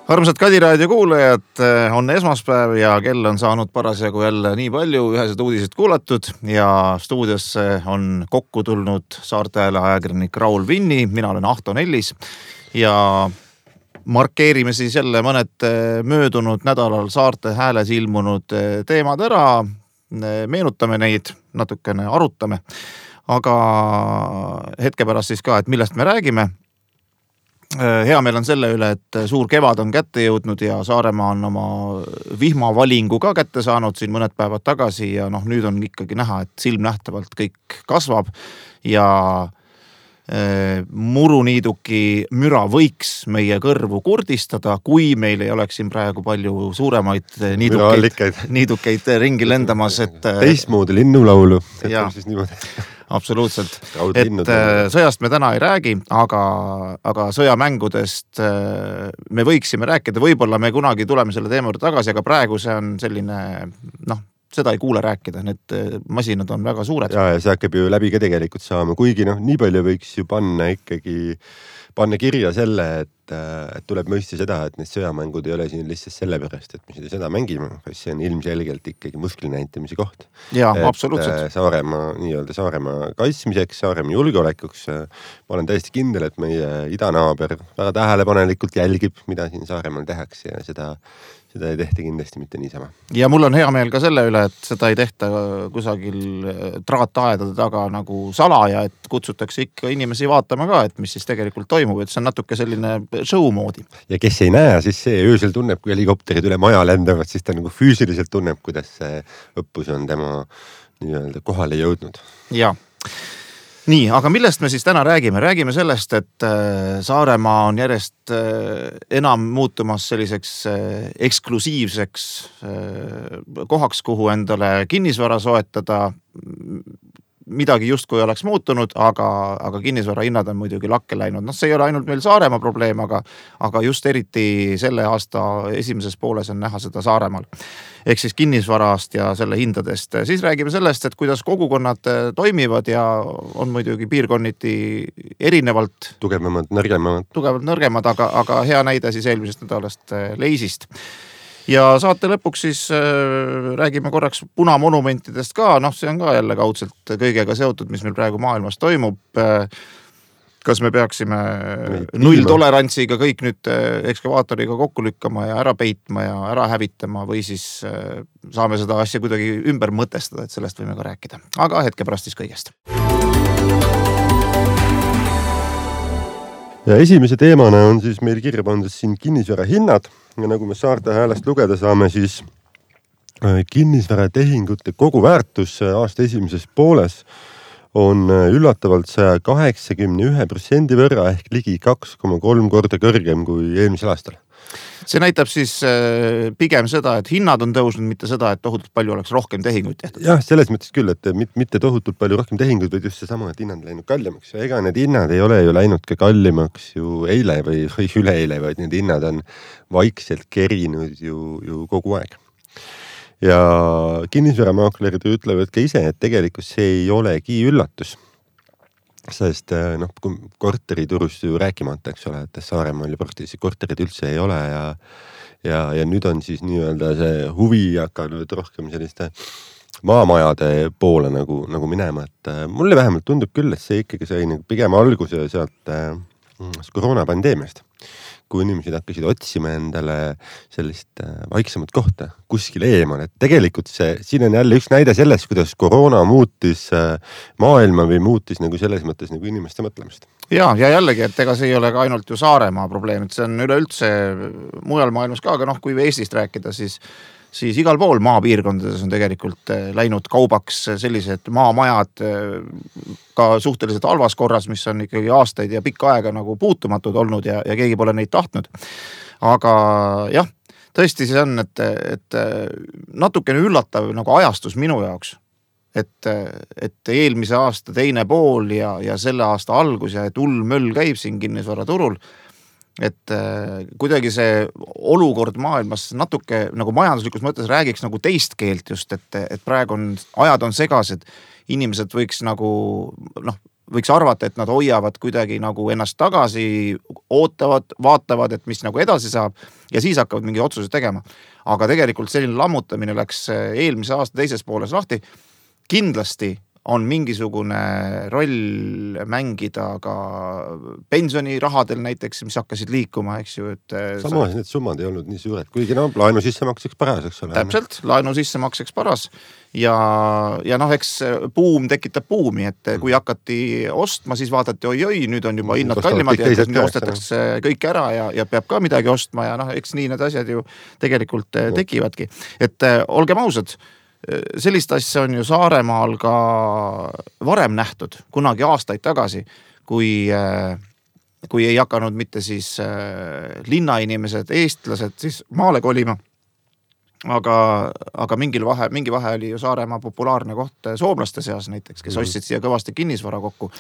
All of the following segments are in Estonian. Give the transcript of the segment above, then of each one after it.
Armsad Kadiraadio kuulajad, on esmaspäev ja kell on saanud parasjagu jälle nii palju ühesed uudised kuulatud ja stuudiosse on kokku tulnud Saarte Hääle ajakirjanik Raul Vinni, mina olen Ahto Nellis ja markeerime siis jälle mõned möödunud nädalal Saarte Hääles ilmunud teemad ära, meenutame neid, natukene arutame, aga hetke pärast siis ka, et millest me räägime. Hea meil on selle üle, et suur kevad on kätte jõudnud ja Saaremaa on oma vihmavalingu ka kätte saanud siin mõned päevad tagasi ja nüüd on ikkagi näha, et silmnähtavalt kõik kasvab ja muruniiduki müra võiks meie kõrvu kurdistada, kui meil ei oleks siin praegu palju suuremaid niidukeid ringi lendamas. Teistmoodi linnulaulu, on siis niimoodi. Absoluutselt, et sõjast me täna ei räägi, aga sõjamängudest me võiksime rääkida, võib-olla me kunagi tuleme selle teema juurde tagasi, aga praegu see on selline, seda ei kuule rääkida, need masinad on väga suured. Ja see hakkab ju läbi ka tegelikult saama, kuigi nii palju võiks ju panna kirja selle, et tuleb mõista seda, et need sõjamängud ei ole siin lihtsalt sellepärast, et me seda mängime, see on ilmselgelt ikkagi muskli näitamise koht. Jaa, absoluutselt. Saaremaa kaitsmiseks, Saaremaa julgeolekuks. Ma olen täiesti kindel, et meie idanaaber väga tähelepanelikult jälgib, mida siin Saaremaal tehakse ja seda ei tehta kindlasti mitte niisama. Ja mul on hea meel ka selle üle, et seda ei tehta kusagil traataedade taga nagu salaja, et kutsutakse ikka inimesi vaatama ka, et mis siis tegelikult toimub, et see on natuke selline show moodi. Ja kes ei näe, siis see öösel tunneb, kui helikopterid üle maja lendavad, siis ta nagu füüsiliselt tunneb, kuidas see õppus on tema nii-öelda kohale jõudnud. Jaa. Nii, aga millest me siis täna räägime? Räägime sellest, et Saaremaa on järjest enam muutumas selliseks eksklusiivseks kohaks, kuhu endale kinnisvara soetada. Midagi justkui oleks muutunud, aga kinnisvara hinnad on muidugi lakke läinud. See ei ole ainult meil Saaremaa probleem, aga just eriti selle aasta esimeses pooles on näha seda Saaremaal. Ehk siis kinnisvarast ja selle hindadest. Siis räägime sellest, et kuidas kogukonnad toimivad ja on muidugi piirkonniti erinevalt tugevamad, nõrgemad, aga hea näide siis eelmisest nädalast Leisist. Ja saate lõpuks siis räägime korraks punamonumentidest ka, see on ka jälle kaudselt kõigega seotud, mis meil praegu maailmas toimub. Kas me peaksime nulltolerantsiga kõik nüüd ekskavaatoriga kokku lükkama ja ära peitma ja ära hävitama või siis saame seda asja kuidagi ümber mõtestada, et sellest võime ka rääkida. Aga hetke pärast siis kõigest. Ja esimese teemana on siis meil kirja pandud siin kinnisvara hinnad ja nagu me Saarte Häälest lugeda saame, siis kinnisvara tehingute koguväärtus aasta esimeses pooles on üllatavalt 181% võrra ehk ligi 2,3 korda kõrgem kui eelmisel aastal. See näitab siis pigem seda, et hinnad on tõusnud, mitte seda, et tohutult palju oleks rohkem tehinguid tehtud. Jah, selles mõttes küll, et mitte tohutult palju rohkem tehinguid, vaid just seesama, et hinnad läinud kallimaks. Ja ega need hinnad ei ole ju läinud ka kallimaks ju eile või üleeile, vaid need hinnad on vaikselt kerinud ju kogu aeg. Ja kinnisvaramaaklerid ütlevad ka ise, et tegelikult see ei olegi üllatus. Sest kui korteriturust ju rääkimata, eks ole, et Saaremaal ju praktiliselt korterid üldse ei ole ja nüüd on siis nii-öelda see huvi hakanud rohkem selliste maamajade poole nagu minema, et mulle vähemalt tundub küll, et see ikkagi sai pigem alguse sealt koroonapandeemiast, kui inimesed hakkasid otsima endale sellist vaiksemat kohta kuskil eemal, et tegelikult siin on jälle üks näide sellest, kuidas koroona muutis maailma või muutis nagu selles mõttes nagu inimeste mõtlemist. Ja jällegi, et ega see ei ole ka ainult ju Saaremaa probleem, et see on üleüldse mujal maailmas ka, aga kui Eestist rääkida, siis igal pool maapiirkondades on tegelikult läinud kaubaks sellised maamajad ka suhteliselt halvas korras, mis on ikkagi aastaid ja pikka aega nagu puutumatud olnud ja keegi pole neid tahtnud. Aga jah, tõesti see on, et natukene üllatav nagu ajastus minu jaoks, et eelmise aasta teine pool ja selle aasta algus ja et möll käib siin kinnisvaraturul, et kuidagi see olukord maailmas natuke nagu majanduslikus mõttes räägiks nagu teist keelt just, et praegu ajad on segased, inimesed võiks nagu võiks arvata, et nad hoiavad kuidagi nagu ennast tagasi, ootavad, vaatavad, et mis nagu edasi saab ja siis hakkavad mingi otsused tegema. Aga tegelikult selline lammutamine läks eelmise aasta teises pooles lahti. Kindlasti on mingisugune roll mängida ka pensionirahadel näiteks, mis hakkasid liikuma, eks ju. Samas need summad ei olnud nii suured, kuigi laenu sissemakseks paras, eks ole. Täpselt, laenu sissemakseks paras ja eks buum tekitab buumi, et kui hakati ostma, siis vaadati oi, nüüd on juba hinnad kallimad ja nüüd ostetakse kõik ära ja peab ka midagi ostma ja eks nii need asjad ju tegelikult tekivadki. Et olgem ausad, sellist asja on ju Saaremaal ka varem nähtud, kunagi aastaid tagasi, kui ei hakanud mitte siis linnainimesed, eestlased siis maale kolima. Aga mingi vahe oli ju Saaremaa populaarne koht soomlaste seas näiteks, kes ostsid siia kõvasti kinnisvara kokku.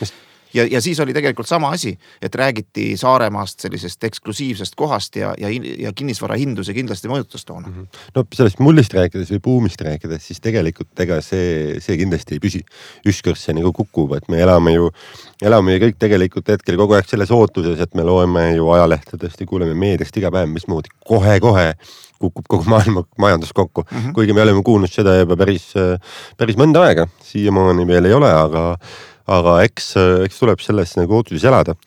Ja siis oli tegelikult sama asi, et räägiti Saaremaast sellisest eksklusiivsest kohast ja kinnisvara hindu see kindlasti mõjutas toona. No sellest mullist rääkides või buumist rääkides, siis tegelikult ega see kindlasti ei püsi. Ükskord see nagu kukub, et me elame ju kõik tegelikult hetkel kogu aeg selles ootuses, et me loeme ju ajalehtedest ja kuuleme meediast iga päev, mismoodi kohe kukub kogu maailma majandus kokku. Kuigi me oleme kuulnud seda juba päris mõnda aega, siiamaani veel ei ole, aga eks tuleb selles nagu ootuses elada.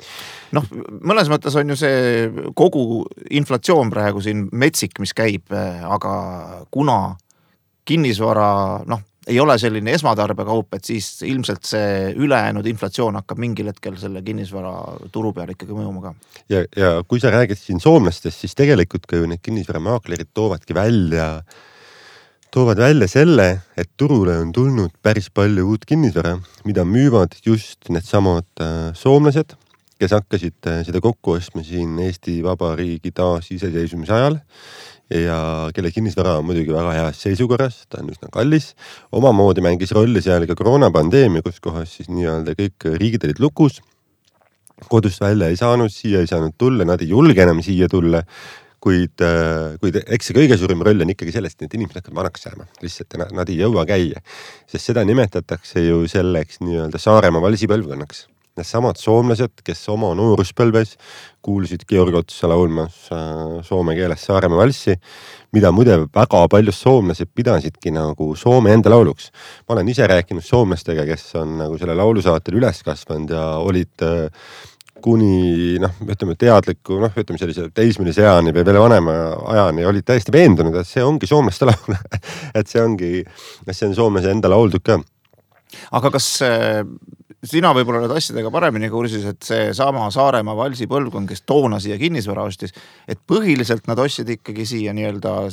Mõnes mõttes on ju see kogu inflatsioon praegu siin metsik, mis käib, aga kuna kinnisvara ei ole selline esmatarbekaup, et siis ilmselt see ülejäänud inflatsioon hakkab mingil hetkel selle kinnisvara turu peal ikkagi mõjuma ka. Ja kui sa räägid siin soomlastest, siis tegelikult ka ju need kinnisvaramaaklerid toovad välja selle, et turule on tulnud päris palju uut kinnisvara, mida müüvad just need samad soomlased, kes hakkasid seda kokku ostma siin Eesti Vabariigi taasiseseisvumise ajal ja kelle kinnisvara on muidugi väga heas seisukorras, ta on üsna kallis. Omamoodi mängis rolli seal ka koroonapandeemia, kus kohas siis nii-öelda kõik riigid olid lukus, kodust välja ei saanud, siia ei saanud tulla, nad ei julge enam siia tulla. Kuid eks see kõige suurim roll on ikkagi sellest, et inimesed hakkavad vanaks jääma. Lihtsalt nad ei jõua käia. Sest seda nimetatakse ju selleks nii-öelda Saaremaa valsipõlvkonnaks. Need samad soomlased, kes oma nooruspõlves kuulsid Georg Otsa laulmas soome keeles Saaremaa valssi, mida muide väga palju soomlased pidasidki nagu Soome enda lauluks. Ma olen ise rääkinud soomlastega, kes on nagu selle laulusaatel üles kasvanud ja olid kuni teadliku, sellise teismelise ajani või veel vanema ajani olid täiesti veendunud, et see ongi soomlaste laul. Et see on soomlase enda lauldud ka. Aga kas sina võib-olla need asjadega paremini kursis, et see sama Saaremaa valsi põlvkond, kes toona siia kinnisvara ostis, et põhiliselt nad ostsid ikkagi siia nii-öelda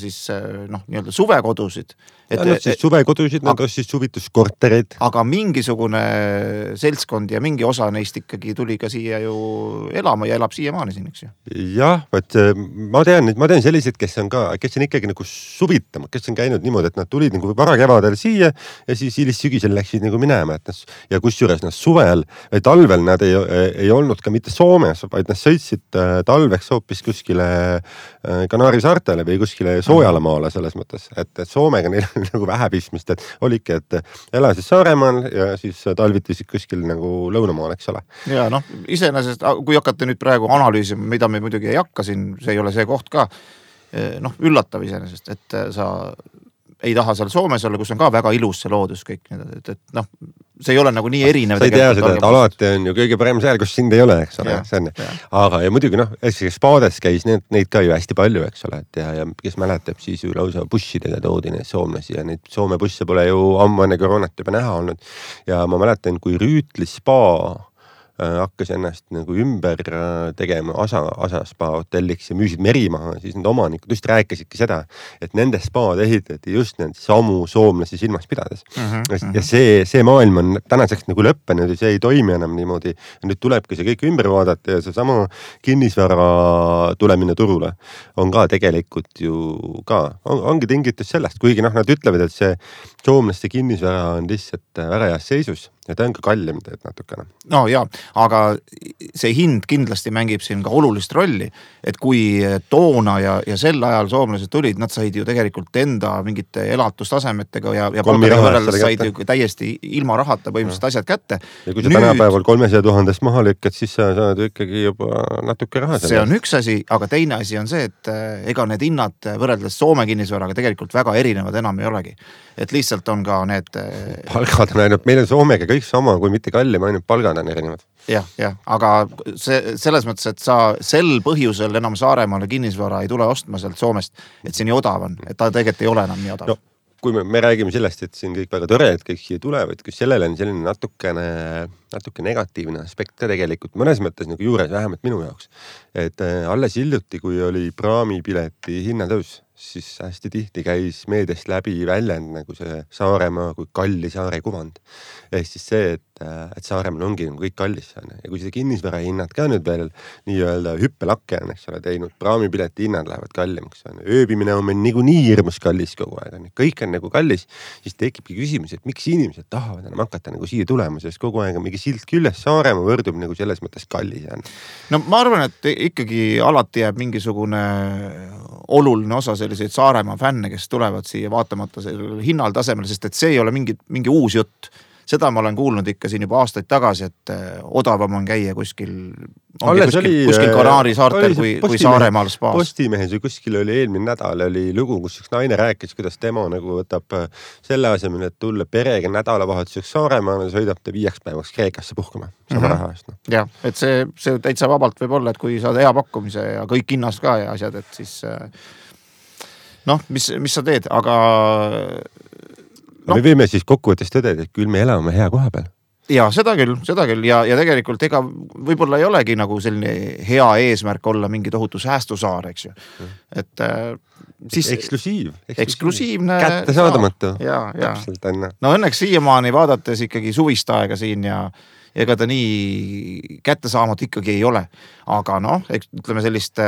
suvekodusid. Suvekodusid, nad ostsid suvituskortereid. Aga mingisugune seltskond ja mingi osa neist ikkagi tuli ka siia ju elama ja elab siiamaani siin, eks ju? Jah, ma tean sellised, kes on ikkagi nagu suvitama, kes on käinud niimoodi, et nad tulid nagu varakevadel siia ja siis hilissügisel läksid nagu minema. Ja kusjuures nad suvel või talvel nad ei olnud ka mitte Soomes, vaid nad sõitsid talveks hoopis kuskile Kanaari saartele või kuskile Soojalamaale selles mõttes, et Soomega neil nagu vähe pistmist, et oligi, et elasid Saaremaal ja siis talvitisid kuskil nagu lõunamaal, eks ole. Ja iseenesest, kui hakata nüüd praegu analüüsima, mida me muidugi ei hakka siin, see ei ole see koht ka, üllatav iseenesest, et sa ei taha seal Soomes olla, kus on ka väga ilus see loodus kõik, et see ei ole nagu nii erinev. Sa ei tea seda, et alati on ju kõige parem seal, kus sind ei ole, eks ole. Aga ja muidugi spaades käis neid ka ju hästi palju, eks ole, ja kes mäletab, siis ju lausa bussidega toodi neid soomlasi ja neid Soome busse pole ju ammu enne koroonat juba näha olnud. Ja ma mäletan, kui Rüütli spa hakkas ennast nagu ümber tegema Asa spa hotelliks ja müüsid Merimaha, siis need omanikud just rääkisidki seda, et nende spaad ehitati just need samu soomlasi silmas pidades. Ja see maailm on tänaseks nagu lõppenud ja see ei toimi enam niimoodi. Ja nüüd tulebki see kõik ümber vaadata ja see sama kinnisvara tulemine turule on ka tegelikult ju ka, ongi tingitud sellest, kuigi nad ütlevad, et see soomlaste kinnisvara on lihtsalt väga heas seisus, ja ta on ka kallim teed natukene. No jaa, aga see hind kindlasti mängib siin ka olulist rolli, et kui toona ja sel ajal soomlased tulid, nad said ju tegelikult enda mingite elatustasemetega ja palgadega võrreldes said ju täiesti ilma rahata põhimõtteliselt asjad kätte. Ja kui sa tänapäeval 300 000 maha lükkad, siis sa saad ikkagi juba natuke raha. See on üks asi, aga teine asi on see, et ega need hinnad võrreldes Soome kinnisvaraga tegelikult väga erinevad enam ei olegi. Et lihtsalt on ka need... Palgad on ainult, meil on Soomega kõik sama, kui mitte kallim, ainult palgad on erinevad. Jah, aga selles mõttes, et sa sel põhjusel enam Saaremaale kinnisvara ei tule ostma sealt Soomest, et see nii odav on, et ta tegelikult ei ole enam nii odav. No, kui me räägime sellest, et siin kõik väga tore, et kõik siia tulevad, kui sellele on selline natuke negatiivne aspekt ka tegelikult mõnes mõttes nagu juures, vähemalt minu jaoks. Et alles hiljuti, kui oli praamipileti hinnatõus, siis hästi tihti käis meediast läbi väljend nagu see Saaremaa kui kalli saare kuvand. Ehk siis see, et Saaremaal ongi kõik kallis. Ja kui see kinnisvara hinnad ka nüüd veel nii-öelda hüppelakke on, eks ole, teinud, praamipileti hinnad lähevad kallimaks. Ööbimine on meil nii hirmus kallis kogu aeg. Kõik on nagu kallis, siis tekibki küsimus, et miks inimesed tahavad enam hakata nagu siia tulema, sest kogu aeg on mingi silt küljes, Saaremaa võrdub nagu selles mõttes kallis. No ma arvan, et ikkagi alati jääb mingisugune oluline osa selliseid Saaremaa fänne, kes tulevad siia vaatamata sellele hinnal tasemel, sest et see ei ole mingi uus jutt. Seda ma olen kuulnud ikka siin juba aastaid tagasi, et odavam on käia kuskil Kanaari saartel kui Saaremaal spaas. Postimehes või kuskil oli eelmine nädal oli lugu, kus üks naine rääkis, kuidas tema nagu võtab selle asemel, et tulla perega nädalavahetuseks Saaremaale, sõidab ta 5 päevaks Kreekasse puhkama sama raha eest. Jah, et see täitsa vabalt võib olla, et kui saad hea pakkumise ja kõik hinnast ka ja asjad, et siis mis sa teed, aga... Me võime siis kokkuvõttes tõdeda, et küll me elame hea koha peal. Ja seda küll ja tegelikult ega võib-olla ei olegi nagu selline hea eesmärk olla mingi tohutu säästusaar, eks ju. Et siis... Eksklusiivne... Kättesaadamatu. Ja. No õnneks siiamaani vaadates ikkagi suvist aega siin ja ega ta nii kättesaamatu ikkagi ei ole. Aga ütleme sellist...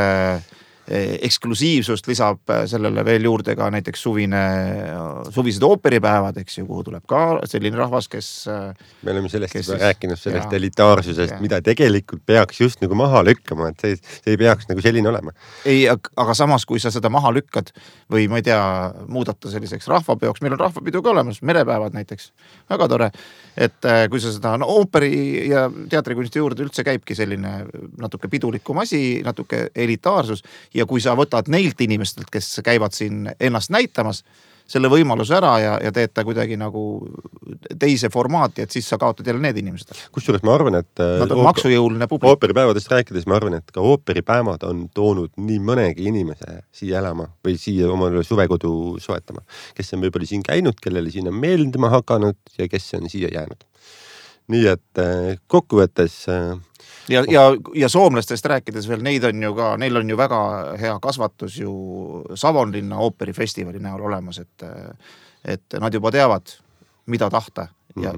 eksklusiivsust lisab sellele veel juurde ka näiteks suvised ooperipäevad, eks ju, kuhu tuleb ka selline rahvas, kes... Me oleme sellest rääkinud, sellest elitaarsusest, mida tegelikult peaks just nagu maha lükkama, et see ei peaks nagu selline olema. Ei, aga samas, kui sa seda maha lükkad või ma ei tea, muudata selliseks rahvapeoks, meil on rahvapidu ka olemas, merepäevad näiteks, väga tore, et kui sa seda ooperi ja teatrikunsti juurde üldse käibki selline natuke pidulikum asi, natuke elitaarsus ja kui sa võtad neilt inimestelt, kes käivad siin ennast näitamas, selle võimaluse ära ja teed ta kuidagi nagu teise formaati, et siis sa kaotad jälle need inimesed. Kusjuures ma arvan, et nad on maksujõuline publik. Ooperipäevadest rääkides ma arvan, et ka ooperipäevad on toonud nii mõnegi inimese siia elama või siia omale suvekodu soetama, kes on võib-olla siin käinud, kellele siin on meeldima hakanud ja kes on siia jäänud. Nii et kokkuvõttes... Ja soomlastest rääkides veel, neil on ju väga hea kasvatus ju Savonlinna ooperifestivali näol olemas, et nad juba teavad, mida tahta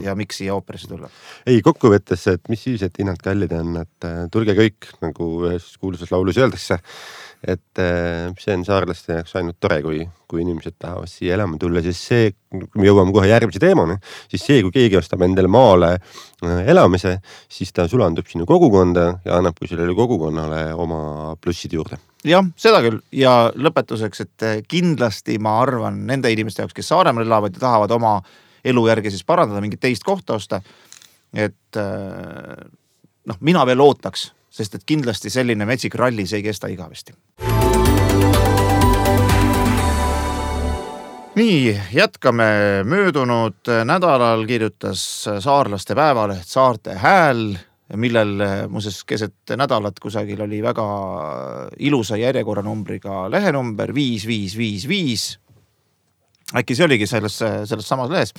ja miks siia ooperisse tulla. Ei, kokkuvõttes, et mis siis, et hinnad kallid on, et tulge kõik, nagu ühes kuulsas laulus öeldakse, et see on saarlaste jaoks ainult tore, kui inimesed tahavad siia elama tulla, siis see, kui me jõuame kohe järgmise teemani, siis see, kui keegi ostab endale maale elamise, siis ta sulandub sinu kogukonda ja annab kui sellele kogukonnale oma plussid juurde. Jah, seda küll. Ja lõpetuseks, et kindlasti ma arvan nende inimeste jaoks, kes Saaremaal elavad ja tahavad oma elu järgi siis parandada, mingit teist kohta osta, et mina veel ootaks, sest et kindlasti selline metsik ralli see ei kesta igavesti. Nii, jätkame. Möödunud nädalal kirjutas saarlaste päevaleht Saarte Hääl, millel muuseas keset nädalat kusagil oli väga ilusa järjekorranumbriga lehenumber 5555. Äkki see oligi selles samas lehes.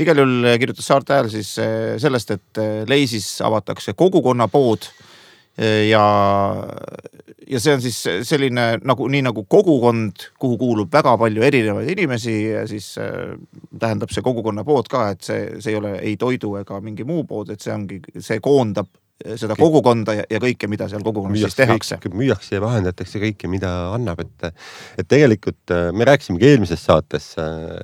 Igal juhul kirjutas Saarte Hääl siis sellest, et Leisis avatakse kogukonnapood ja see on siis selline nii nagu kogukond, kuhu kuulub väga palju erinevaid inimesi ja siis tähendab see kogukonnapood ka, et see ei ole ei toidu ega mingi muu pood, et see koondab seda kogukonda ja kõike, mida seal kogukonnas siis tehakse. Müüakse ja vahendatakse kõike, mida annab, et tegelikult me rääkisime eelmises saates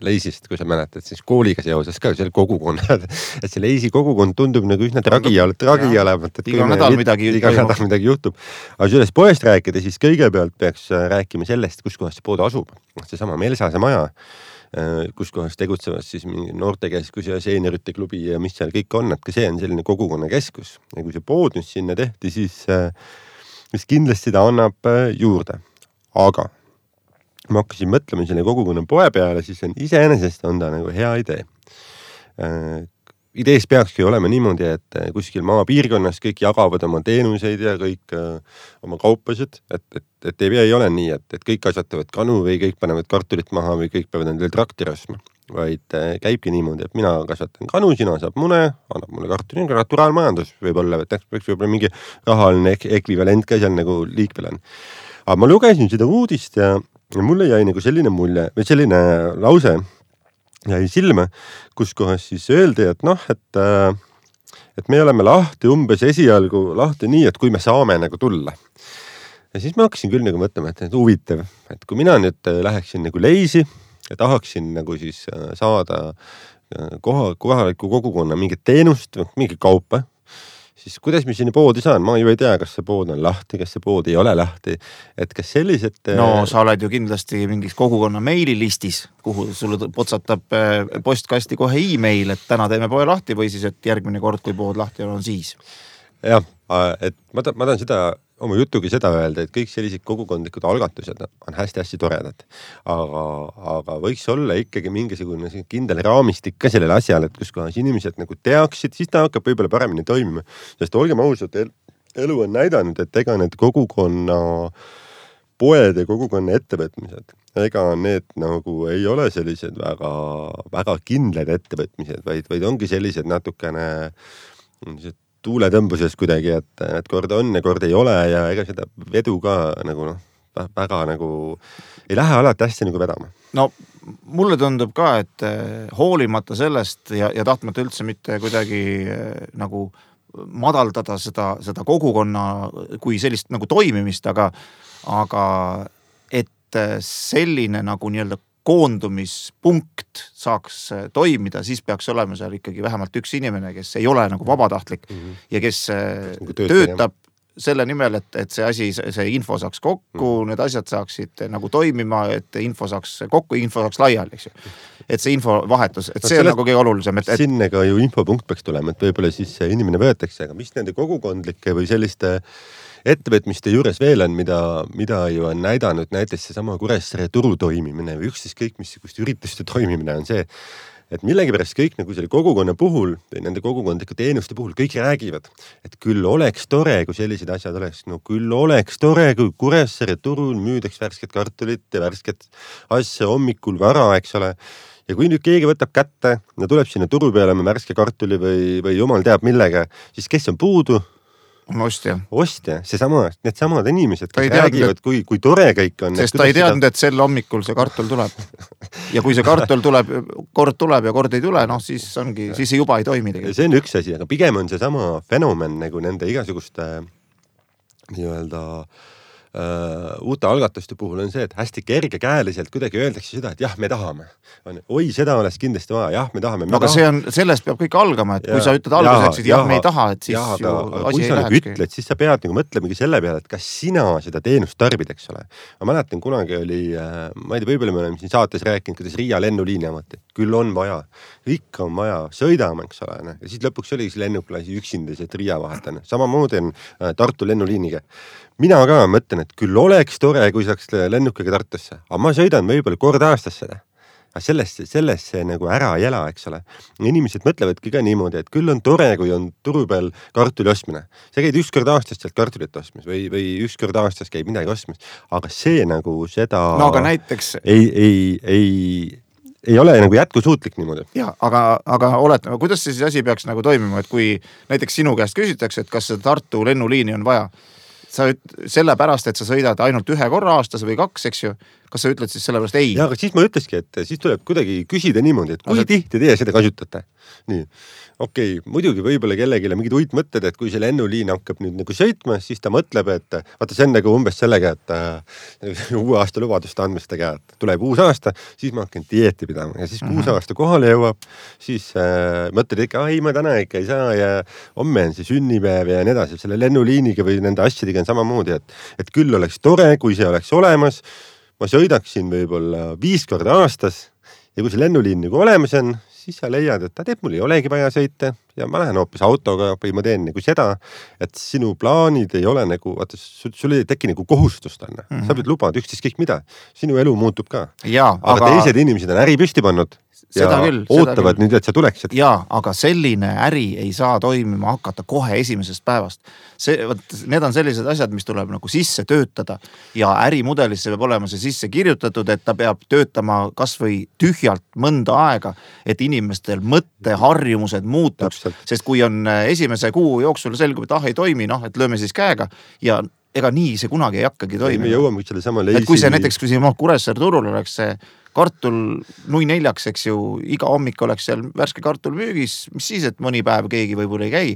Leisist, kui sa mäletad, siis kooliga seoses ka seal kogukonnad, et see Leisi kogukond tundub nagu üsna tragi olevat, et iga nädal midagi juhtub. Aga sellest poest rääkida, siis kõigepealt peaks rääkima sellest, kus kohas see pood asub. See sama Melsase maja, kus kohas tegutsevad siis noortekeskus ja seenerite klubi ja mis seal kõik on, et ka see on selline kogukonna keskus. Ja kui see pood nüüd sinna tehti, siis kindlasti ta annab juurde. Aga ma hakkasin mõtlema selle kogukonna poe peale, siis iseenesest on ta nagu hea idee. Idees peakski olema niimoodi, et kuskil maapiirkonnas kõik jagavad oma teenuseid ja kõik oma kaupasid, et ei ole nii, et kõik kasvatavad kanu või kõik panevad kartulit maha või kõik peavad endale traktori ostma, vaid käibki niimoodi, et mina kasvatan kanu, sina saab mune, annab mulle kartuli, naturaalmajandus võib-olla, et peaks võib-olla mingi rahaline ekvivalent ka seal nagu liikvel on. Aga ma lugesin seda uudist ja mulle jäi nagu selline mulje või selline lause jäi silma, kus kohas siis öeldi, et et me oleme lahti umbes esialgu lahti nii, et kui me saame nagu tulla. Ja siis ma hakkasin küll nagu mõtlema, et huvitav, et kui mina nüüd läheksin nagu Leisi ja tahaksin nagu siis saada kohaliku kogukonna mingit teenust, mingit kaupa, siis kuidas me sinna poodi saan? Ma ju ei tea, kas see pood on lahti, kas see pood ei ole lahti. Et kas sellised... No sa oled ju kindlasti mingis kogukonna meililistis, kuhu sulle potsatab postkasti kohe e-mail, et täna teeme poe lahti või siis, et järgmine kord, kui pood lahti on siis. Jah, et ma tahan seda oma jutugi seda öelda, et kõik sellised kogukondlikud algatused on hästi-hästi toredad. Aga võiks olla ikkagi mingisugune kindel raamistik ka sellele asjale, et kus kohas inimesed nagu teaksid, siis ta hakkab võib-olla paremini toimima. Sest olgem ausad, elu on näidanud, et ega need kogukonna poed ja kogukonna ettevõtmised, ega need nagu ei ole sellised väga kindlad ettevõtmised, vaid ongi sellised natukene tuuletõmbuses kuidagi, et kord on ja kord ei ole ja ega seda vedu ka nagu väga nagu ei lähe alati hästi nagu vedama. No mulle tundub ka, et hoolimata sellest ja tahtmata üldse mitte kuidagi nagu madaldada seda kogukonna kui sellist nagu toimimist, aga et selline nagu nii-öelda koondumispunkt saaks toimida, siis peaks olema seal ikkagi vähemalt üks inimene, kes ei ole nagu vabatahtlik ja kes töötab selle nimel, et see info saaks kokku, need asjad saaksid nagu toimima, et info saaks kokku, info saaks laiali, eks ju. Et see infovahetus, et see on nagu kõige olulisem. Sinne ka ju infopunkt peaks tulema, et võib-olla siis inimene võetakse, aga mis nende kogukondlike või selliste ettevõtmiste juures veel on, mida ju on näidanud näiteks see sama Kuressaare turu toimimine või üksteist kõik missugust ürituste toimimine on see, et millegipärast kõik nagu selle kogukonna puhul või nende kogukondliku teenuste puhul kõik räägivad, et küll oleks tore, kui sellised asjad oleks, no küll oleks tore, kui Kuressaare turul müüdaks värsket kartulit ja värsket asja hommikul vara, eks ole. Ja kui nüüd keegi võtab kätte ja tuleb sinna turu peale värske kartuli või jumal teab millega, siis kes on puudu? Ostja, need samad inimesed, kes räägivad, kui tore kõik on. Sest ta ei teadnud, et sel hommikul see kartul tuleb. Ja kui see kartul tuleb ja kord ei tule, siis see juba ei toimi tegelikult. See on üks asi, aga pigem on see sama fenomen nagu nende igasuguste nii-öelda uute algatuste puhul on see, et hästi kergekäeliselt kuidagi öeldakse seda, et jah, me tahame. Oi, seda oleks kindlasti vaja, jah, me tahame. Aga sellest peab kõik algama, et kui sa ütled alguseks, et jah, me ei taha, et siis ju asi ei lähekski. Kui sa ütled, siis sa pead nagu mõtlemegi selle peale, et kas sina seda teenust tarbid, eks ole. Ma mäletan, kunagi oli, ma ei tea, võib-olla me oleme siin saates rääkinud, kuidas Riia lennuliini amati. Küll on vaja, ikka on vaja, sõidama, eks ole. Ja siis lõpuks oli lennuklasi üksindised Riia vahetane. Samamoodi on Tartu lennuliiniga. Mina ka mõtlen, et küll oleks tore, kui saaks lennukiga Tartusse. Aga ma sõidan võib-olla kord aastas seda. Aga sellest see nagu ära ei ela, eks ole. Inimesed mõtlevadki ka niimoodi, et küll on tore, kui on turu peal kartuli ostmine. Sa käid üks kord aastas sealt kartulit ostmas või üks kord aastas käib midagi ostmas. Aga see nagu seda aga näiteks ei ole nagu jätkusuutlik niimoodi. Ja, aga oletame, kuidas see asi peaks nagu toimima, et kui näiteks sinu käest küsitakse, et kas see Tartu lennuliini on vaja, sa selle pärast, et sa sõidad ainult 1 korra aastas või 2, eks ju, kas sa ütled siis sellepärast ei? Ja, aga siis ma ütleski, et siis tuleb kuidagi küsida niimoodi, et kui tihti teie seda kasutate. Nii, okei, muidugi võib-olla kellegile mingid uitmõtted, et kui see lennuliin hakkab nüüd nagu sõitma, siis ta mõtleb, et vaata see on nagu umbes sellega, et uue aasta lubaduste andmistega, et tuleb uus aasta, siis ma hakkan dieeti pidama ja siis kui uus aasta kohale jõuab, siis mõtled ikka, ei ma täna ikka ei saa ja homme on see sünnipäev ja nii edasi. Selle lennuliiniga või nende asjadega on samamoodi, et küll oleks tore, kui see oleks olemas. Ma sõidaksin võib-olla 5 korda aastas ja kui see lennuliin nagu olemas on, siis sa leiad, et ta teeb, mul ei olegi vaja sõita ja ma lähen hoopis autoga või ma teen nagu seda, et sinu plaanid ei ole nagu, vaata, sul ei teki nagu kohustust anna. Sa pead lubad üksteist kõik mida. Sinu elu muutub ka. Aga teised inimesed on äri püsti pannud ja ootavad nüüd, et sa tuleksid. Jaa, aga selline äri ei saa toimima hakata kohe esimesest päevast. Need on sellised asjad, mis tuleb nagu sisse töötada ja ärimudelisse peab olema see sisse kirjutatud, et ta peab töötama kas või tühjalt mõnda aega, et inimestel mõtteharjumused muutuks. Sest kui on esimese kuu jooksul selgub, et ei toimi, et lööme siis käega ja ega nii see kunagi ei hakkagi toimima. Me jõuame selle sama leisi. Et kui see näiteks, kui siin Kuressaare turul oleks see kartul 0.4, eks ju, iga hommik oleks seal värske kartul müügis, mis siis, et mõni päev keegi võib-olla ei käi,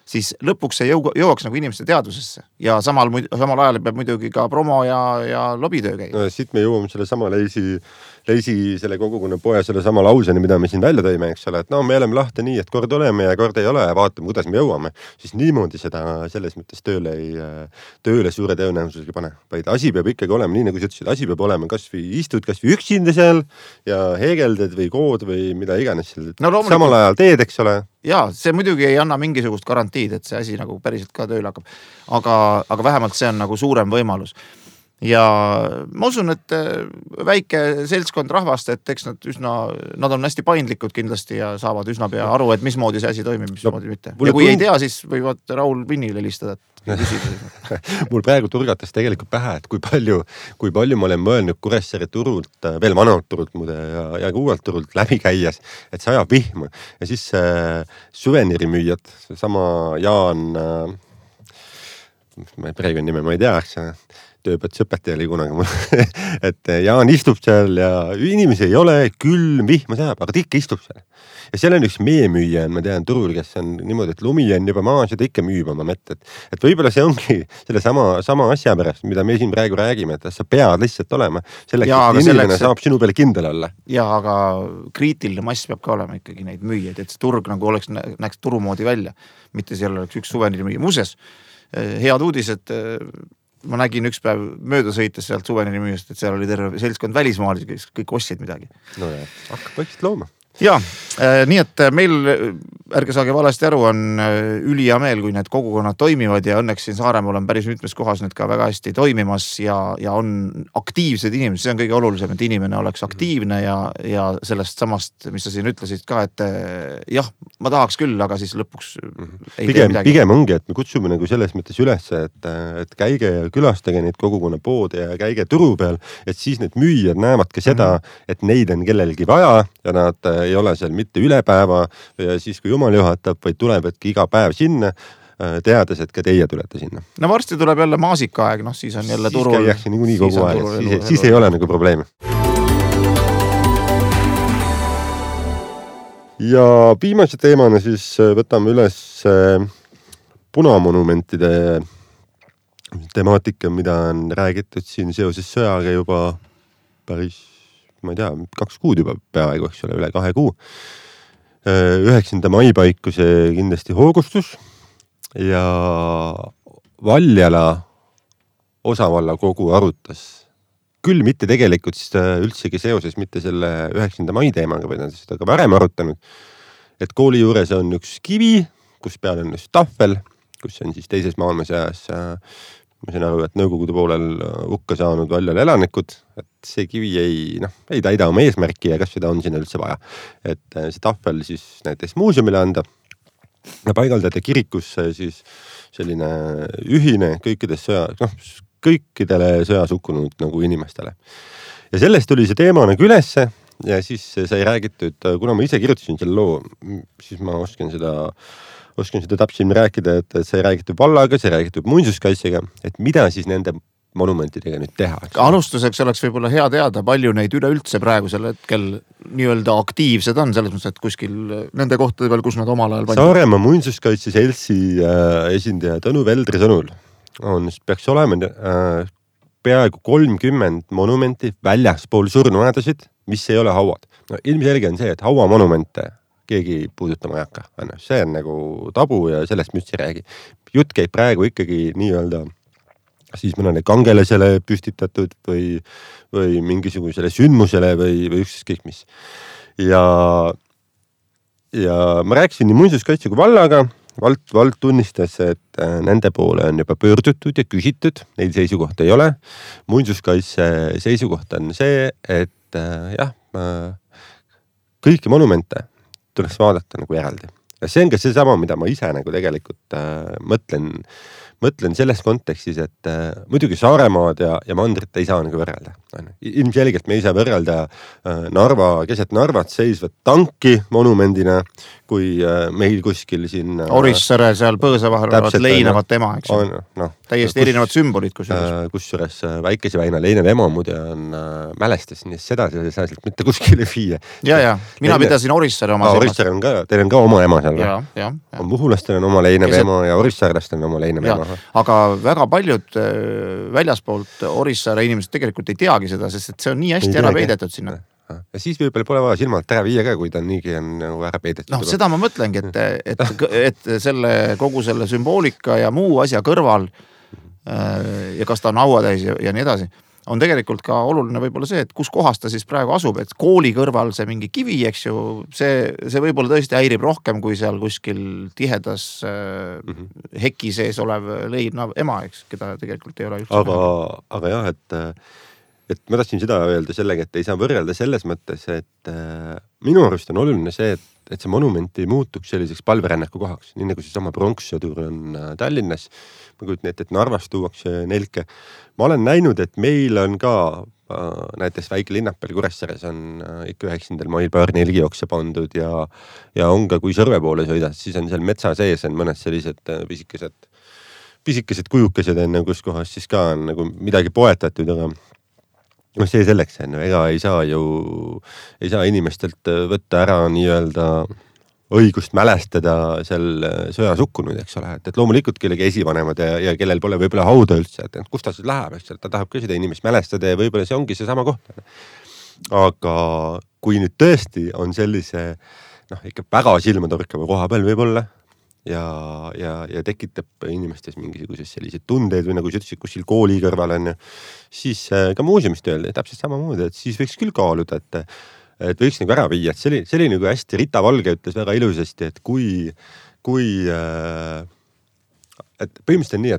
siis lõpuks see jõuaks nagu inimeste teadvusesse ja samal ajal peab muidugi ka promo ja lobitöö käia. No, siit me jõuame selle sama leisi selle kogukonna poe selle sama lauseni, mida me siin välja tõime, eks ole, et me oleme lahti nii, et kord oleme ja kord ei ole ja vaatame, kuidas me jõuame, siis niimoodi seda selles mõttes tööle suure tõenäosusega pane. Vaid asi peab ikkagi olema, nii nagu sa ütlesid, asi peab olema kas või istud kas või üksinda seal ja heegelded või kood või mida iganes samal ajal teed, eks ole. Jaa, see muidugi ei anna mingisugust garantiid, et see asi nagu päriselt ka tööle hakkab. Aga vähemalt see on nagu suurem võimalus. Ja ma usun, et väike seltskond rahvast, et eks nad on hästi paindlikud kindlasti ja saavad üsna pea aru, et mismoodi see asi toimib, mismoodi mitte. Ja kui ei tea, siis võivad Raul Vinnile helistada. Mul praegu turgatas tegelikult pähe, et kui palju ma olen mõelnud Kuressaare turult, veel vanalt turult muide ja uuelt turult läbi käies, et see ajab vihma. Ja siis suveniirimüüjad, sama Jaan, praegu nime ma ei tea, tööpõt sõpeti oli kunagi mul, et Jaan istub seal ja inimesi ei ole, külm, vihma sajab, aga ta ikka istub seal. Ja seal on üks meemüüja, ma tean turul, kes on niimoodi, et lumi on juba maas ja ta ikka müüb oma mett. Et võib-olla see ongi selle sama asja pärast, mida me siin praegu räägime, et sa pead lihtsalt olema. Selleks, et inimene saab sinu peale kindel olla. Ja, aga kriitiline mass peab ka olema ikkagi neid müüjaid, et see turg nagu näeks turumoodi välja. Mitte seal oleks üks suveniirimüüja. Muuseas, head uudised, ma nägin üks päev mööda sõites sealt suveniirimüüjast, et seal oli terve seltskond välismaalisi, kes kõik ostsid midagi. No ja, hakkab vaikselt looma. Ja, nii et meil, ärge saage valesti aru, on ülihea meel, kui need kogukonnad toimivad ja õnneks siin Saaremaal on päris mitmes kohas need ka väga hästi toimimas ja on aktiivsed inimesed. See on kõige olulisem, et inimene oleks aktiivne ja sellest samast, mis sa siin ütlesid ka, et jah, ma tahaks küll, aga siis lõpuks ei tee midagi. Pigem ongi, et me kutsume nagu selles mõttes üles, et käige ja külastage neid kogukonna poode ja käige turu peal, et siis need müüjad näevad ka seda, et neid on kellelgi vaja ja nad ei ole seal mitte üle päeva ja siis kui jumal juhatab, vaid tulevadki iga päev sinna, teades, et ka teie tulete sinna. No varsti tuleb jälle maasikaaeg, siis on jälle turul. Siis käiakse nii kogu aeg, siis ei ole nagu probleemi. Ja viimase teemana siis võtame üles punamonumentide temaatika, mida on räägitud siin seoses sõjaga juba päris ma ei tea, 2 kuud juba peaaegu, eks ole, üle 2 kuu. 9. mai paiku see kindlasti hoogustus ja Valjala osavalla kogu arutas. Küll mitte tegelikult üldsegi seoses mitte selle 9. mai teemaga, vaid nad seda ka varem arutanud, et kooli juures on üks kivi, kus peal on üks tahvel, kus on siis teises maailmasõjas ma saan aru, et Nõukogude poolel hukka saanud Valjala elanikud, et see kivi ei täida oma eesmärki ja kas seda on sinna üldse vaja. Et see tahvel siis näiteks muuseumile anda ja paigaldada kirikusse siis selline ühine kõikidele sõjas hukkunud nagu inimestele. Ja sellest tuli see teema nagu ülesse ja siis sai räägitud, kuna ma ise kirjutasin selle loo, siis ma oskan seda täpselt rääkida, et see räägitud vallaga, see räägitud muinsuskaitsega, et mida siis nende monumentidega nüüd teha. Alustuseks oleks võib-olla hea teada, palju neid üleüldse praegusel hetkel nii-öelda aktiivsed on, selles mõttes, et kuskil nende kohtade peal, kus nad omal ajal Saaremaa muinsuskaitse seltsi esindaja Tõnu Veldri sõnul peaks olema peaaegu 30 monumenti väljaspool surnuaedasid, mis ei ole hauad. No, ilmselge on see, et hauamonumente keegi puudutama ei hakka. See on nagu tabu ja sellest me üldse ei räägi. Jutt käib praegu ikkagi nii-öelda siis mõnele kangelasele püstitatud või mingisugusele sündmusele või ükskõik mis. Ja ma rääkisin nii muinsuskaitse kui vallaga. Vald tunnistas, et nende poole on juba pöördutud ja küsitud, neil seisukohta ei ole. Muinsuskaitse seisukoht on see, et kõiki monumente tuleks vaadata nagu eraldi. Ja see on ka seesama, mida ma ise nagu tegelikult mõtlen selles kontekstis, et muidugi Saaremaad ja Mandrit ei saa nagu võrrelda. Ilmselgelt me ei saa võrrelda keset Narvat seisvat tanki monumendina, kui meil kuskil siin Orissaare seal põõsa vahel leinavat ema, eks täiesti erinevad sümbolid kusjuures Väikese väina leinev ema muide on mälestas, nii seda ei saa mitte kuskile viia. Ja, mina pidasin Orissaare oma Orissaare on ka, teil on ka oma ema seal. On Muhulastel on oma leinev ema ja Orissaarlastel on oma leinev ema. Aga väga paljud väljaspoolt Orissaare inimesed tegelikult ei teagi seda, sest et see on nii hästi ära peidetud sinna. Ja siis võib-olla pole vaja silmalt ära viia ka, kui ta niigi on ära peidetud. Seda ma mõtlengi, et kogu selle sümboolika ja muu asja kõrval ja kas ta on hauatäis ja nii edasi, on tegelikult ka oluline võib-olla see, et kus kohas ta siis praegu asub, et kooli kõrval see mingi kivi, eks ju, see võib-olla tõesti häirib rohkem kui seal kuskil tihedas heki sees olev leinav ema, eks, keda tegelikult ei ole üldse. Aga jah, et ma tahtsin seda öelda sellega, et ei saa võrrelda selles mõttes, et minu arust on oluline see, et see monument ei muutuks selliseks palverännaku kohaks, nii nagu see sama pronkssõdur on Tallinnas. Ma kujutan ette, et Narvas tuuakse nelke. Ma olen näinud, et meil on ka näiteks väike linnapel Kuressaares on ikka 9. mail paar nelgijookse pandud ja on ka, kui Sõrve poole sõidad, siis on seal metsa sees on mõned sellised pisikesed kujukesed enne, kus kohas siis ka on nagu midagi poetatud, aga see selleks on, ega ei saa inimestelt võtta ära nii-öelda õigust mälestada seal sõjas hukkunud, eks ole, et loomulikult kellegi esivanemad ja kellel pole võib-olla hauda üldse, et kus ta siis läheb, eks, ta tahab ka seda inimest mälestada ja võib-olla see ongi see sama koht. Aga kui nüüd tõesti on sellise ikka väga silmatorkava koha peal võib-olla ja tekitab inimestes mingisuguses sellised tundeid või nagu sa ütlesid, kuskil kooli kõrval on, siis ka muuseumist öelda täpselt samamoodi, et siis võiks küll kaaluda, et võiks nagu ära viia, et see oli nagu hästi, Rita Valge ütles väga ilusasti, et kui et põhimõtteliselt on nii,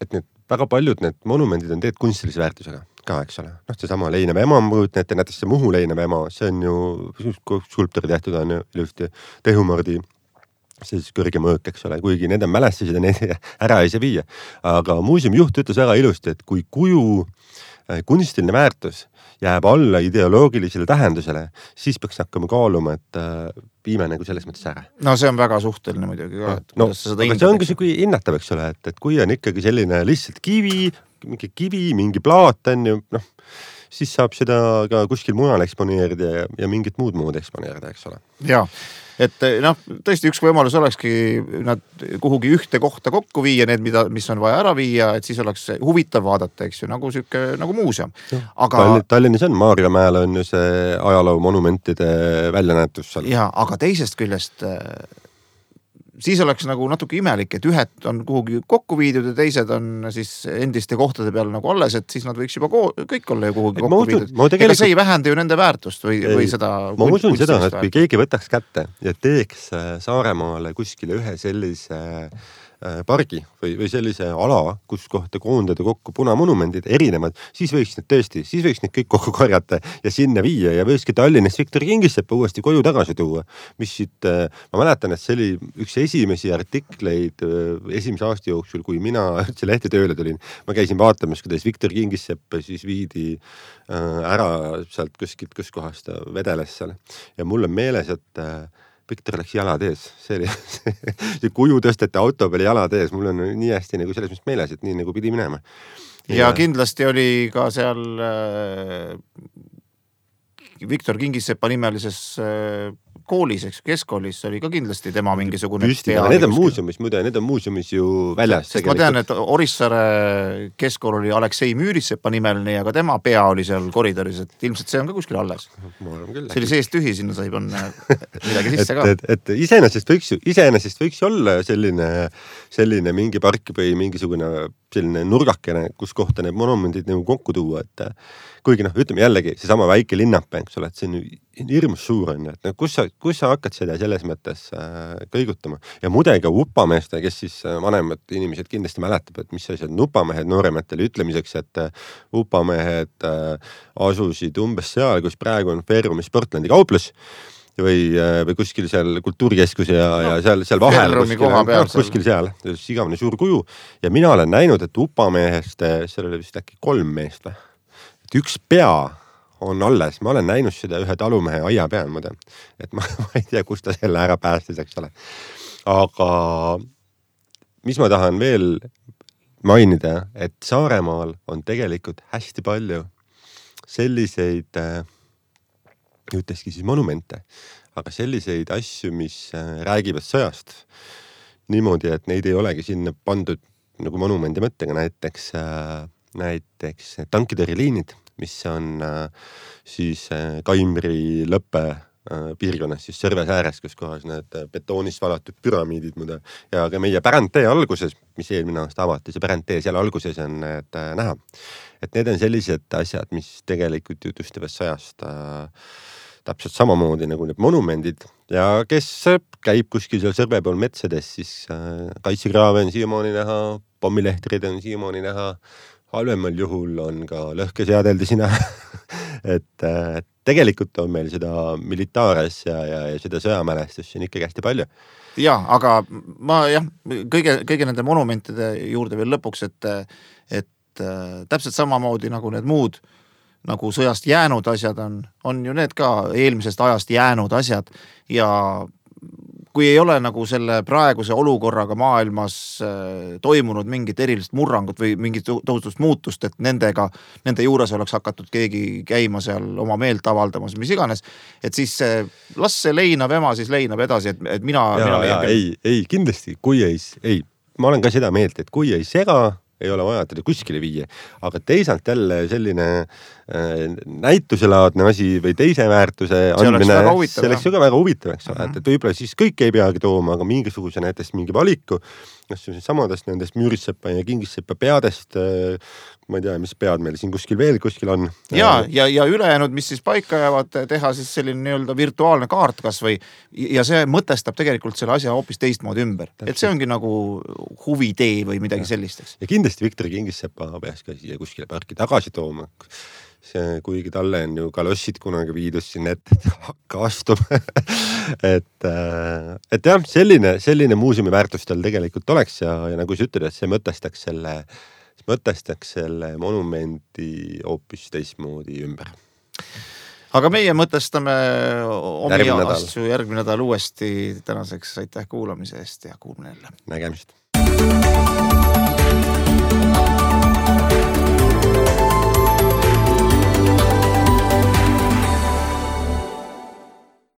et need väga paljud need monumendid on tegelikult kunstilise väärtusega ka, eks ole. See sama leinev ema, näiteks see Muhu leinev ema, see on ju skulptori tehtud on ju ilusti Tehumardi siis kõrge mõõk, eks ole, kuigi need on mälestused ja need ära ei saa viia. Aga muuseumi juht ütles väga ilusti, et kui kuju kunstiline väärtus jääb alla ideoloogilisele tähendusele, siis peaks hakkama kaaluma, et viime nagu selles mõttes ära. See on väga suhteline muidugi ka. Aga see ongi see, kui hinnatav, eks ole, et kui on ikkagi selline lihtsalt kivi, mingi plaat on ju, siis saab seda ka kuskil mujal eksponeerida ja mingit muud eksponeerida, eks ole. Jaa. Et tõesti üks võimalus olekski nad kuhugi ühte kohta kokku viia, need, mis on vaja ära viia, et siis oleks huvitav vaadata, eks ju, nagu muuseum. Aga Tallinnas on, Maarjamäel on ju see ajaloo monumentide väljanäetus seal. Jaa, aga teisest küljest siis oleks nagu natuke imelik, et ühed on kuhugi kokku viidud ja teised on siis endiste kohtade peal nagu alles, et siis nad võiks juba kõik olla ju kuhugi kokku viidud. Ega see ei vähenda ju nende väärtust või seda. Ma usun seda, et kui keegi võtaks kätte ja teeks Saaremaale kuskile ühe sellise pargi või sellise ala, kus kohta koondada kokku punamonumendid erinevad, siis võiks need kõik kokku korjata ja sinna viia ja võikski Tallinnast Viktor Kingissepa uuesti koju tagasi tuua. Mis siit, ma mäletan, et see oli üks esimesi artikleid esimese aasta jooksul, kui mina üldse lehte tööle tulin. Ma käisin vaatamas, kuidas Viktor Kingissepa siis viidi ära sealt kuskilt, kus kohast ta vedeles seal. Ja mul on meeles, et Viktor läks jalad ees, see kuju tõsteti auto peale jalad ees, mul on nii hästi nagu selles mõttes meeles, et nii nagu pidi minema. ja kindlasti oli ka seal Viktor Kingissepa nimelises koolis, eks keskkoolis oli ka kindlasti tema mingisugune püsti, aga need on muuseumis ju väljas. Sest ma tean, et Orissaare keskkool oli Aleksei Müüritsepa nimeline ja ka tema pea oli seal koridoris, et ilmselt see on ka kuskil alles. See oli seest tühi, sinna sai panna midagi sisse ka. Et iseenesest võiks olla selline mingi park või mingisugune selline nurgakene, kus kohta need monumendid nagu kokku tuua, et kuigi ütleme jällegi, see sama väike linnapea, eks ole, et see on hirmus suur on, et kus sa hakkad seda selles mõttes kõigutama. Ja mudega upameeste, kes siis vanemad inimesed kindlasti mäletab, et mis asjad on upamehed noorematele ütlemiseks, et upamehed asusid umbes seal, kus praegu on Ferrumi Sportlandi kauplus või kuskil seal kultuurikeskus ja seal vahel kuskil seal, igavene suur kuju. Ja mina olen näinud, et upamehest, seal oli vist äkki 3 meest või? Et üks pea on alles, ma olen näinud seda ühe talumehe aia peal, et ma ei tea, kus ta selle ära päästis, eks ole. Aga mis ma tahan veel mainida, et Saaremaal on tegelikult hästi palju selliseid ütleski siis monumente, aga selliseid asju, mis räägivad sõjast niimoodi, et neid ei olegi sinna pandud nagu monumendi mõttega, näiteks tankitõrjeliinid, mis on siis Kaimri lõppe piirkonnas, siis Sõrves ääres, kus kohas need betoonist valatud püramiidid muda. Ja ka meie Pärantee alguses, mis eelmine aasta avati, see Pärantee seal alguses on need näha. Et need on sellised asjad, mis tegelikult jutustavad sõjast täpselt samamoodi nagu need monumendid ja kes käib kuskil seal Sõrve pool metsades, siis kaitsekraave on siiamaani näha, pommilehtrid on siiamaani näha, halvemal juhul on ka lõhkeseadeldisi näha. et tegelikult on meil seda militaares ja seda sõjamälestust on ikkagi hästi palju. Ja, aga ma kõige nende monumentide juurde veel lõpuks, et täpselt samamoodi nagu need muud nagu sõjast jäänud asjad on ju need ka eelmisest ajast jäänud asjad ja kui ei ole nagu selle praeguse olukorraga maailmas toimunud mingit erilist murrangut või mingit tohutust muutust, et nende juures oleks hakatud keegi käima seal oma meelt avaldamas, mis iganes, et siis las see leinab ema, siis leinab edasi, et mina ei, kindlasti, kui ei, ma olen ka seda meelt, et kui ei sega, ei ole vaja teda kuskile viia, aga teisalt jälle selline näituselaadne asi või teise väärtuse andmine, see oleks ju ka väga huvitav, eks ole, et võib-olla siis kõik ei peagi tooma, aga mingisuguse näiteks mingi valiku, samadest nendest Müüritsepa ja Kingissepa peadest, ma ei tea, mis pead meil siin kuskil on. Ja ülejäänud, mis siis paika jäävad, teha siis selline nii-öelda virtuaalne kaart kas või, ja see mõtestab tegelikult selle asja hoopis teistmoodi ümber. Et see ongi nagu huvitee või midagi sellisteks. Ja kindlasti Viktor Kingissepa peaks ka siia kuskile parki tagasi tooma. Kuigi talle on ju kalossid kunagi viidud sinna ette, et hakka astuma. et jah, selline muuseumi väärtus tal tegelikult oleks ja nagu sa ütled, et see mõtestaks selle monumendi hoopis teistmoodi ümber. Aga meie mõtestame omi asju järgmine nädal uuesti. Tänaseks aitäh kuulamise eest ja kuulme jälle. Nägemist.